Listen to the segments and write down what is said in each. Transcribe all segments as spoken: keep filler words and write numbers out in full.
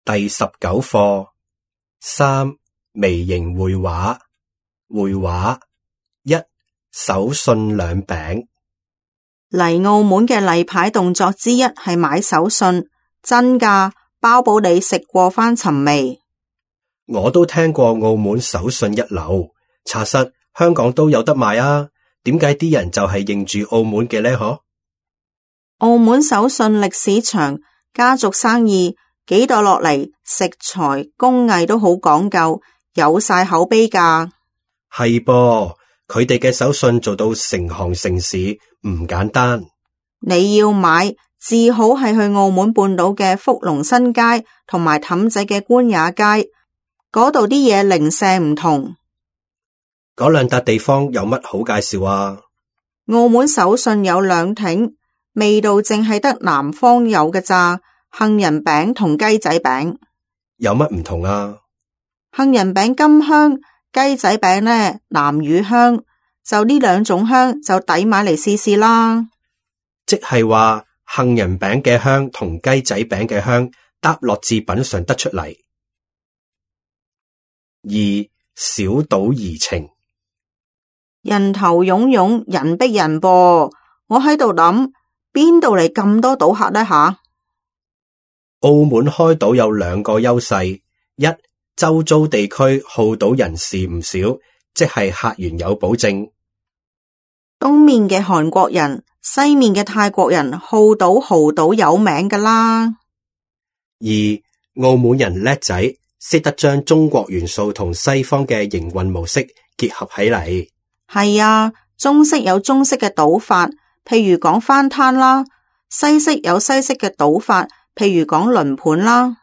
第十九課三微型繪畫。繪畫一手信兩餅。嚟澳門嘅例牌動作之一係買手信，真㗎，包保你食過返尋味。我都聽過澳門手信一流，查實香港都有得賣啊，點解啲人就係認住澳門嘅呢？嗬？澳門手信歷史長，家族生意幾代落嚟，食材工藝都好講究，有晒口碑㗎。係噃，佢哋嘅手信做到成行成市，唔簡單。你要買，至好係去澳門半島嘅福隆新街同埋氹仔嘅官也街，嗰度啲嘢零舍唔同。嗰兩笪地方有乜好介紹啊？澳門手信有兩挺，味道淨係得南方有嘅咋。杏仁餅同雞仔餅有乜唔同啊？杏仁餅甘香，雞仔餅呢南乳香，就呢兩種香就抵買嚟試試啦。即係話杏仁餅嘅香同雞仔餅嘅香搭落至品嘗得出嚟。二小島怡情。人頭湧湧，人逼人噃，我喺度諗邊度嚟咁多賭客呢吓？澳門開賭有兩個優勢，一周遭地區好賭人士唔少，即係客源有保證。東面嘅韓國人，西面嘅泰國人好賭豪賭有名㗎啦。二澳門人叻仔，識得將中國元素同西方嘅營運模式結合起嚟。係啊，中式有中式嘅賭法，譬如講翻攤啦；西式有西式嘅賭法，譬如講輪盤啦。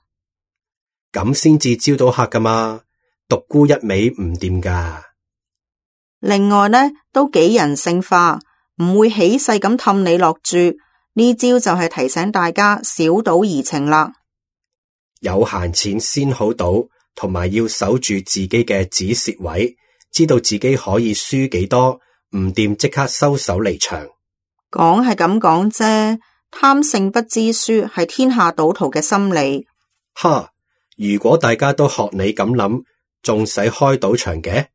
咁先至招到客噶嘛，獨沽一味唔掂噶。另外呢，都幾人性化，唔會起勢咁氹你落注。呢招就係提醒大家小賭怡情啦。有閒錢先好賭，同埋要守住自己嘅止蝕位，知道自己可以輸幾多，唔掂即刻收手離場。講係咁講啫，貪勝不知輸係天下賭徒嘅心理。哈！如果大家都學你咁諗，仲使開賭場嘅？